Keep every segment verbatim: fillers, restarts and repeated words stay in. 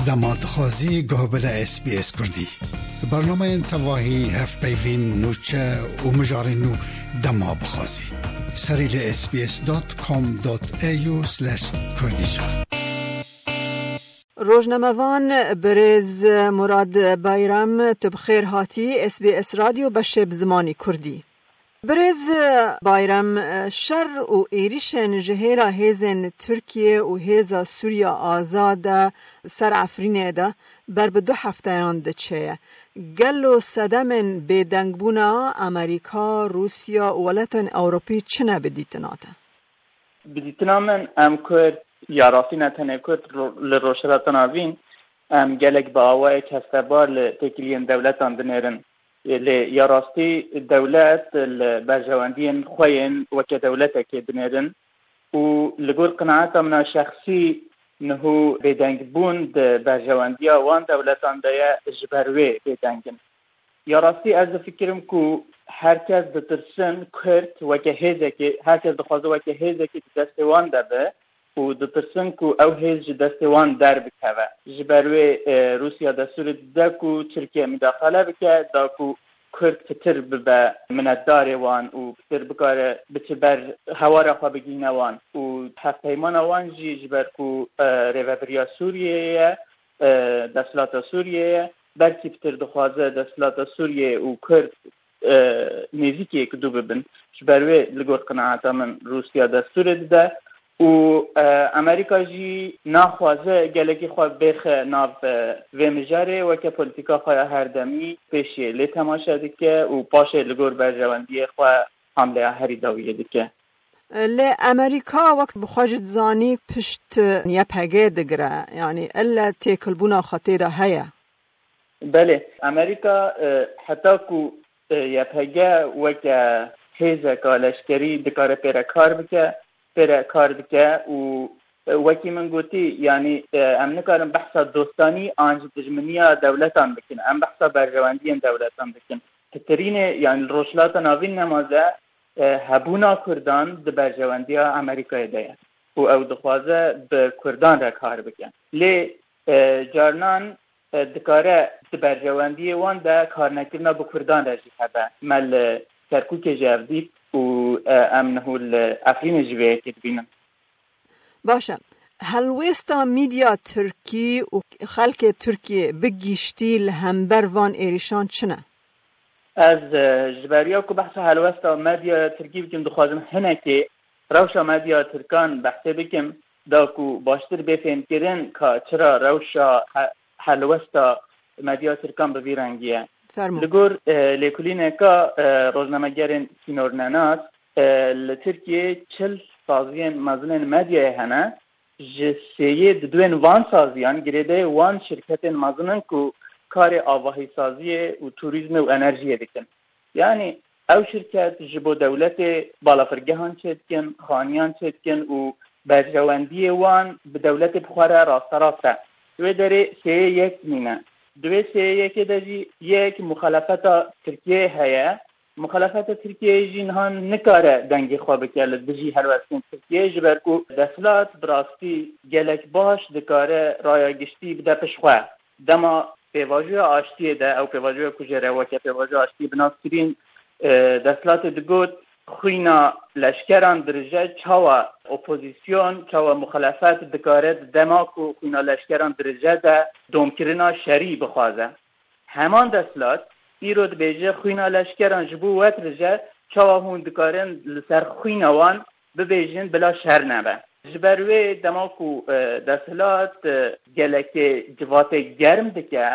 Dema dixwazî guh bide S B S Kurdî. Bernameyên tevahî, hevpeyvîn, nûçe û mijarên nû dema bixwazî. Serî li S B S dot com dot A U slash Kurdish. Rojnamevan birêz Murad Bayram, tu bi xêr hatî S B S Radyo beşê bi zimanî Kurdî. Birêz Bayram, şer û êrîşên ji hêla hêzên Tirkiye û hêza Sûriya Azad e ser Efrînê de ber bi du hefteyan diçe ye. Gelo sedemên bêdengbûna Amerîka, Rûsya û welatên Ewropî çi ne bi dîtina te? Bi dîtina min, em Kurd, ya rastî ne tenê Kurd, ro-, li Rojhilata Navîn, em gelek bi awayek hestebar li têkiliyên dewletan dinêrin. Lê ya rastî dewlet li berjewendiyên xwe yên weke dewletekê dinêrin û li gor qenaeta min a şexsî niho bêdengbûn di berjewendiya wan dewletan de ye, ji ber wê bêdeng in. Ya rastî ez difikirim ku her kes ditirsin Kurd weke hêzekê, her kes dixwaze weke hêzekê di destê wan de be û ditirsin ku ew hêz ji destê wan derbikeve. Ji ber wê, e, Rûsya destûrê dide ku Tirkiye mudaxale bike, da ku Kurd pitir bibe minetdarê wan û pitir bikare biçe ber hewara xwe bigihîne wan. Û hevpeymana wan jî ji ber ku, e, rêvebiriya Sûriyeyê ye, e, desthilata Sûriyeyê ye, belkî pitir dixwaze desthilata Sûriyeyê û Kurd, e, nêzîkî yek du bibin. Ji ber wê li gor qenaeta min Rûsya destûrê dide û, e, Amerîka jî naxwaze gelekî xwe bêxe nav, e, vê mijarê, weke polîtîka xwe ya herdemî pêşiyê lê temaşe dike û paşê li gor berjewendiyê xwe hamleya herî dawiyê dike. Lê Amerîka wek bi xwe jî dizanî pişt Y P G digire, yanî elle têkilbûna xwe tê de heye. Belê, Amerîka, e, heta ku, e, Y P G weke hêzeka leşkerî dikare pê re kar bike, pê re kar dike û, e, wekî min gotî, yanî, e, em nikarin behsa dostanî an jî dijminiya dewletan bikin. Em behsa berjewendiyên dewletan dikin. Pitirînê, yanî li Rojhilata Navîn nema ze, e, hebûna Kurdan di berjewendiya Amerîkayê de ye û ew dixwaze bi Kurdan re kar bike. Lê, e, carinan, e, dikare di berjewendiyê wan de karnekirina bi Kurdan re jî hebe. Me li Kerkûkê jî ev dît û, e, em niho li Efrînê jî vê yekê dibînin. Baş e. Helwêsta medya tirkî û xelkê Tirkiyê bi giştî li hember van êrîşan çi ne? Ez, e, ji beriya ku behsa helwesta medyaya tirkî bikim, dixwazim hinekê rewşa medya tirkan behsê bikim, da ku baştir bê fêmkirin ka çira rewşa he-, helwesta medya tirkan bi vî rengî ye. Fermo. Li gor, e, lêkolîneka, e, rojnamegerên sînornenas, e, li Tirkiyê çil saziyên mezinên medyayê hene. Ji sêyê di duên van saziyan girêdayê wan şirketên mezin in ku karê avahîsaziyê û turîzmê û enerjiyê dikin. Yanî ew şirket ji bo dewletê balafirgehan çêdikin, xaniyan çêdikin û berjewendiyê wan bi dewletê bi xwe re rasterast e. Wê derê sêyê yek nîne. Di wê sêyê yekê de jî yek muxalefeta Tirkiyeyê heye. Muxalefeta Tirkiyeyê jî niha nikare dengê xwe bike li dijî helwestên Tirkiyeyê, ji ber ku desthilat bi rastî gelek baş dikare raya giştî bide pişt xwe. Dema pêvajoya aştiyê de, ew pêvajoya ku jê re weke pêvajoya aştiyê bi nas kirîn, e, desthilatê digot, xwîna leşkeran dirije, çawa opozîsyon, çawa muxalefet dikare di dema ku xwîna leşkeran dirije de domkirina şerî bixwaze? Heman desthilat îro dibêje, xwîna leşkeran ji bo we dirije, çawa hûn dikarin li ser xwîna wan bibêjin bila şer nebe? Ji ber wê dema ku, e, desthilat, e, gelekê civatê germ dike,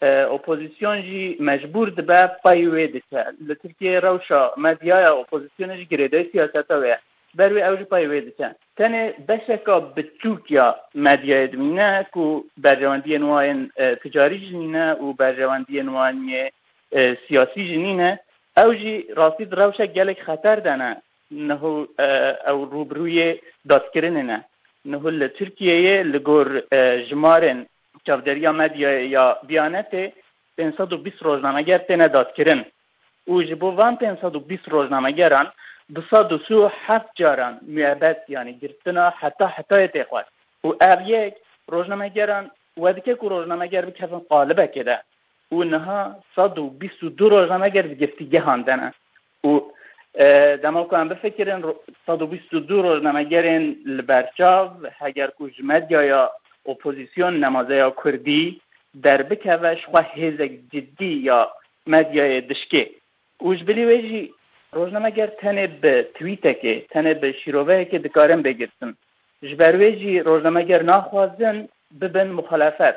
e, opozîsyon jî mecbûr dibe pey wê diçe. Li Tirkiyeyê rewşa medyaya opozîsyonê jî girêdayî siyaseta wê ye. Ji ber wê ew jî pey wê diçe. Tenê beşeka biçûk ya medyayê dimîne ku berjewendiyên wan yên, e, ticarî jî nîne û berjewendiyên wan yê, e, siyasî jî nîne. Ew jî rastî di rewşek gelek xeter de ne. Niho, e, ew rûbirûyê dadkirinê ne. Niho li Tirkiyeyê li gor, e, jimarên çavderiya medyayê ya Biyanetê pênc sed û bîst rojnameger têne dadkirin û ji bo van pênc sed û bîst rojnamegeran du sed û sî û heft caran muebet, yanî girtina heta hetayê tê xwest. Û ev yek rojnamegeran we dike ku rojnameger bikevin qalibekê de. Û niha sed û bîst û du rojnameger di girtîgehan de ne. Û, e, dema ku em bifikirin, ro-, sed û bîst û du rojnamegerên li ber çav, heger ku ji medyaya opozîsyon nemazeya kurdî derbikeve, ji xwe hêzek cidî ya medyayê dişkê. Û ji bilî wê jî rojnameger tenê bi twîtekê, tenê bi şîroveyekê dikarin bê girtin. Ji ber wê jî rojnameger naxwazin bibin muxalefet.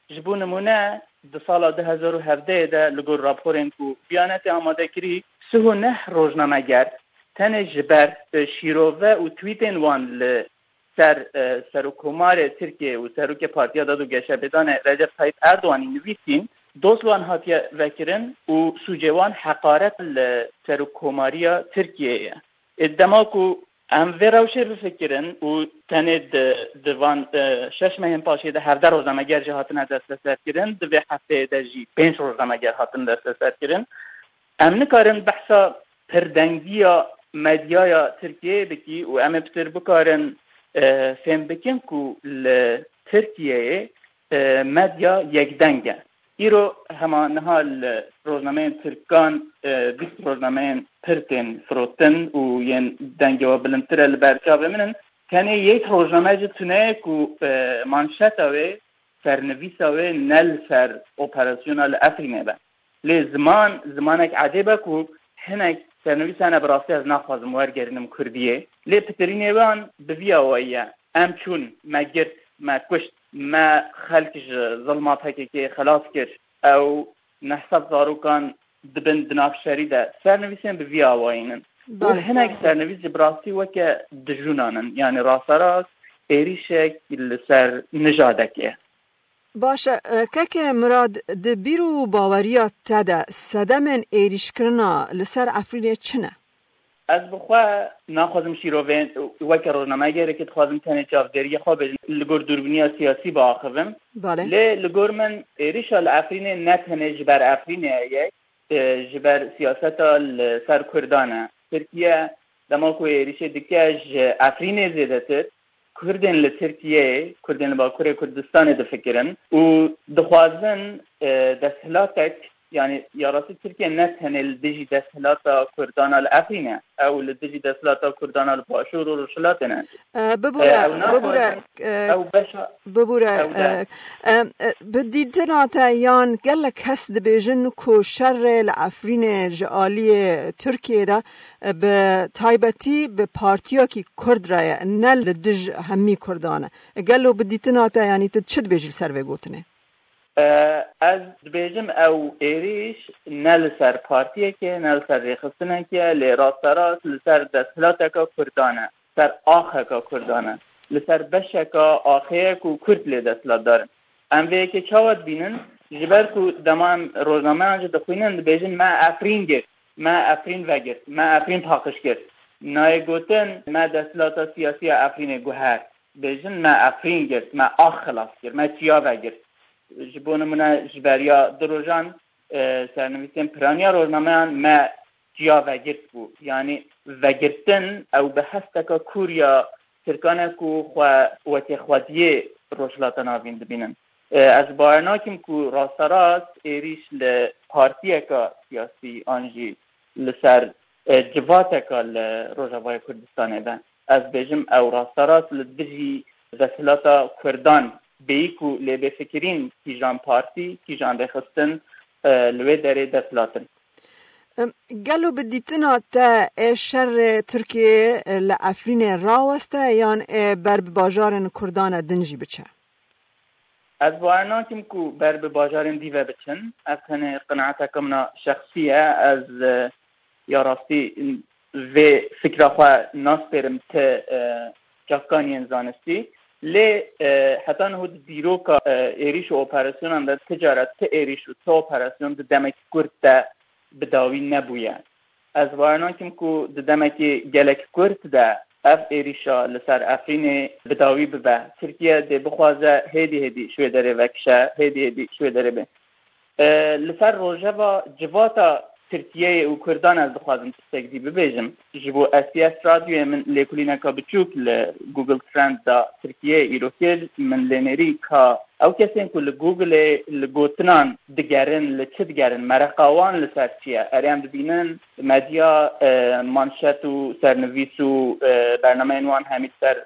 Ji bo nimûne, di sala du hezar û hevdehê de li gor raporên ku Biyanetê amade kirî, sih û neh rojnameger tenê ji ber, e, şîrove û twîtên wan li ser, e, Serokkomarê Tirkiyeyê û Serokê Partiya Dad û Geşepêdanê Recep Tayyip Erdoganî nivîsîn, doz wan hatiye vekirin û sûcê wan heqaret li Serokkomariya Tirkiyeyê ye. Ê, dema ku em vê rewşê bifikirin û tenê di, di van, e, şeş mehên paşê de hevdeh rojnameger jî hatine desteserkirin, di vê hefteyê de jî pênc rojnameger hatin desteserkirin. Em nikarin behsa pirdengiya medyaya Tirkiyeyê bikî û em ê pitir bikarin, e, fêm bikin ku li Tirkiyeyê, e, medya yekdeng e. Îro hema niha li rojnameyên Tirkan, e, bîst rojnameyên pir tên firotin û yên dengê we bilindtir e li ber çavê min in. Tenê yek rojname jî tune ye ku, e, manşeta wê sernivîsa wê ne li ser operasyona li Efrînê be. Lê ziman, zimanek ecêb e ku hinek sernivîs hene, bi rastî ez naxwazim wergerînim kurdiyê. Lê pitirînê wan bi vî awayî ye. Em çûn, me girt, me kuşt, me xelk ji zilma P K K'ê xelas kir. Ew neh sed zarokan dibin di nav şerî de. Sernivîsên bi vî awayî nin. Û Belê. hinek sernivîs jî bi rastî weke dijûnan in. Yanî rasterast êrîşek li ser nijadekê. Baş e, keke Mirad, di bîr û baweriya te de sedemên êrîşkirina li ser Efrînê çi ne? Ez bi xwe naxwazim şîrovên, weke rojnamegerekî dixwazim tenê çavdêriya xwe bêjim, li gor dûrbîniya siyasî biaxivim. Belê. Lê li gor min êrîşa li Efrînê ne tenê ji ber Efrînê ye, e, ji ber siyaseta li ser Kurdan e. Tirkiye dema ku êrîşê dike ji Efrînê zêdetir, Kurdên li Tirkiyeyê, Kurdên li Bakurê Kurdistanê difikirin û dixwazin, e, desthilatek, yanî ya rastî Tirkiye ne tenê li dijî desthilata Kurdana li Efrîn e, ew li dijî desthilata Kurdana li Başûr û Rojhilatê ne. E, bibûre, E, ew bibûre, naxwazin, e, ew beşa, bibûre, ew de. e, e, e, bi dîtina te yan gelek kes dibêjin ku şerê li Efrînê ji aliyê Tirkiyê de, e, bi taybetî bi partiyakî Kurd re ye, ne li dij hemî Kurdan e. Gelo bi dîtina te, yanî tu çi dibêjî li ser vê gotinê? E, ez dibêjim ew êrîş ne li ser partiyekê, ne li ser rêxistinekê, lê rasterast li ser desthilateka Kurdan e, ser axeka Kurdan e, li ser beşeka axê ye ku Kurd lê desthilatdar in. Em vê yekê çawa dibînin? Ji ber ku dema em rojnameyan jî dixwînin, dibêjin, "Me Efrîn girt, me Efrîn vegirt, me Efrîn paqij kir." Nayê gotin, "Me desthilata siyasî ya Efrînê guhert." Dibêjin, "Me Efrîn girt, me ax xilas kir, me çiya vegirt." Ji bo nimûne, ji beriya du rojan, e, sernivîsên piraniya rojnameyan "Me çiya vegirt" bû. Yanî vegirtin, ew bi hesteka kûr ya Tirkan e ku xwe wekî xwediyê Rojhilata Navîn dibînin. E, ez bawer nakim ku rasterast êrîş li partiyeka siyasî an jî li ser, e, civateka li Rojavayê Kurdistanê be. Ez bêjim, ew rasterast li dijî desthilata Kurdan bêyî ku lê bê fikirîn kîjan partî, kîjan rêxistin, e, li wê derê dest hilatin. Em, gelo bi dîtina te ê şerê Tirkiyê, e, li Efrînê raweste yan ê ber bi bajarên Kurdan e din jî biçe? Ez bawer nakim ku ber bi bajarên dî ve biçin. Ev tenê qenaeteke min a şexsî ye. Ez, e, ya rastî vê fikra xwe naspêrim ti, e, çavkaniyên zanistî. Lê, e, heta niho di dîroka, e, êrîş û operasyonan de ti cara ti êrîş û ti operasyon di demekî kurt de bi dawî nebûye. Ez bawer nakim ku di demekî gelek kurt de ev êrîşa li ser Efrînê bi dawî bibe. Tirkiye dê bixwaze hêdî hêdî ji wê derê vekişe, hêdî hêdî ji wê derê bê. E, li ser rojeva civata Tirkiyeyê û Kurdan ez dixwazim tiştek dî bibêjim. Ji bo S B S Radyoyê min lêkolîneka biçûk li Google Trend da Tirkiyeyê îro kir. Min lê nêrî ka ew kesên ku li Google-ê li gotinan digerin, li çi digerin, mereqa wan li ser çi ye? Erê em dibînin medya, e, manşet û sernivîs û, e, bernameyên wan hemî ser,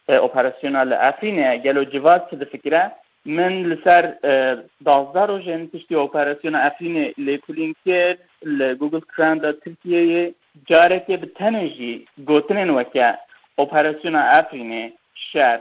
e, operasyona li Efrînê ye. Gelo civak çi difikire? Min li ser, e, duwazdeh rojên piştî operasyona Efrînê lêkolîn kir, li Google Trend de Tirkiyeyê carekê bi tenê jî gotinên weke operasyona Efrînê, şer,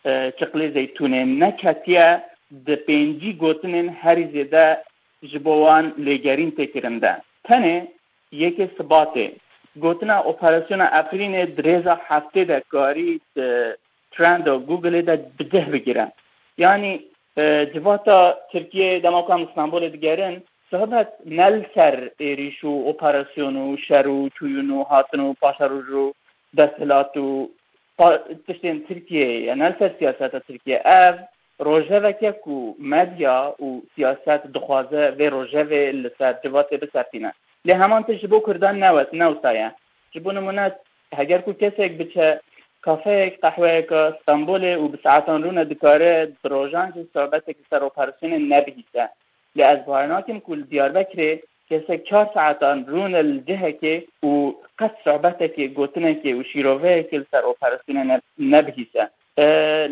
e, çiqlê zeytûnê neketiye di pêncî gotinên herî zêde ji bo wan lêgerîn tê kirin de. Tenê yekê Sibatê gotina operasyona Efrînê di rêza heftê de karî di trenda Google-ê de bi cih bigire. Yanî, e, civata Tirkiyeyê dema ku em li Stenbolê digerin, sohbet ne li ser êrîş û operasyon û şer û çûyîn û hatin û paşeroj û desthilat û pa-, tiştên Tirkiyeyê ye, ne li ser siyaseta Tirkiye. Ev rojeveke ku medya û siyaset dixwaze vê rojevê li ser civatê bisertîne. Lê heman tişt ji bo Kurdan ne wes-, ne wisa ye. Ji bo nimûne, heger ku kesek biçe kafeyek, qehweyeka Stenbolê û bi saetan rûne dikare di rojan jî sohbetek li ser operasyonê nebihîse. Lê ez bawer nakim ku li Diyarbekirê kesek çar saetan rûne li cihekê û qet sohbetekê, gotinekê û şîroveyekê li ser operasyonê ne-, nebihîse. E,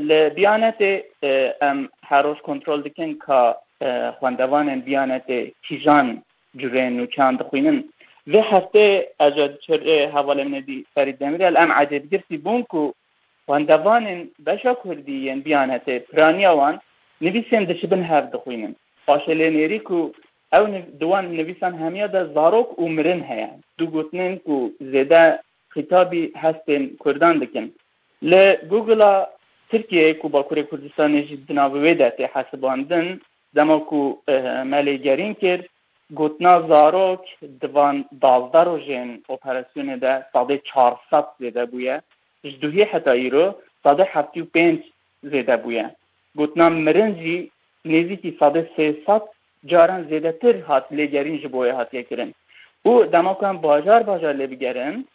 li Biyanetê, e, em her roj kontrol dikin ka, e, xwendevanên Biyanetê kîjan cureyên nûçeyan dixwînin. Vê heftê ez ji çirê hevalê min ê dî Ferîd Demirel em ecêbgirsî bûn ku xwendevanên beşa kurdî yên Biyanetê piraniya wan nivîsên dişibin hev dixwînin. Paşê lê nêrî ku ew niv-, di wan nivîsan hemiya de zarok û mirin heye. Du gotinên ku zêde xîtabî hestên kurdan dikin. Li Google-a Tirkiyeyê ku Bakurê Kurdistanê jî di nav wê de tê hesibandin, dema ku, eh, me lêgerîn kir, gotina zarok di van duwazdeh rojên operasyonê de sedê çar sed zêde bûye. Ji duhî heta îro sedê heftê û pênc zêde bûye. Gotina mirin jî nêzîkî sedê sê sed caran zêdetir hat lêgerîn ji bo wê hatiye kirin. Û dema ku em bajar bajar lê bigerin,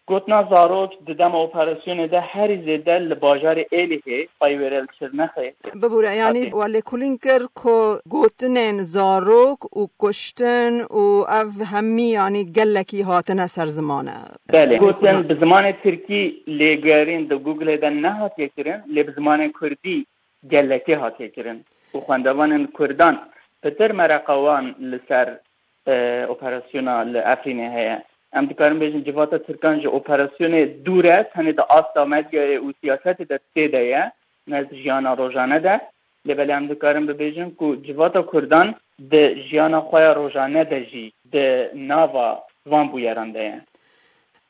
gotina zarok di dema operasyonê de herî zêde li bajarê Êlihê, pey wêre li Şirnexê. Bibûre, yanî hatî. We lêkolîn kir ku gotinên zarok û kuştin û ev hemî, yanî gelekî hatine ser ziman e. Belê, gotin bi zimanê tirkî lêgerîn di Google-ê de nehatiye kirin, lê bi zimanê kurdî gelekê hatiye kirin û xwendevanên kurdan pitir mereqa wan li ser, e, operasyona li Efrînê heye. Em dikarin bêjin civata tirkan ji operasyonê dûr e, tenê di asta medyayê û siyasetê de tê de ye, ne di jiyana rojane de. Lê belê em dikarin bibêjin ku civata kurdan di jiyana xwe ya rojane de jî di nava van bûyeran de ye.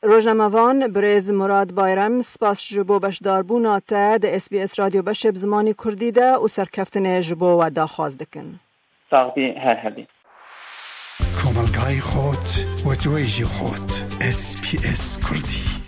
Rojnamevan birêz Murad Bayram, spas ji bo beşdarbûna te di S B S Radyo Beşê bi zimanê kurdî de û serkeftinê ji bo we daxwaz dikin. Sax bî, her hebî. Komelgayê xot, wetweyjî xot, S B S Kurdî.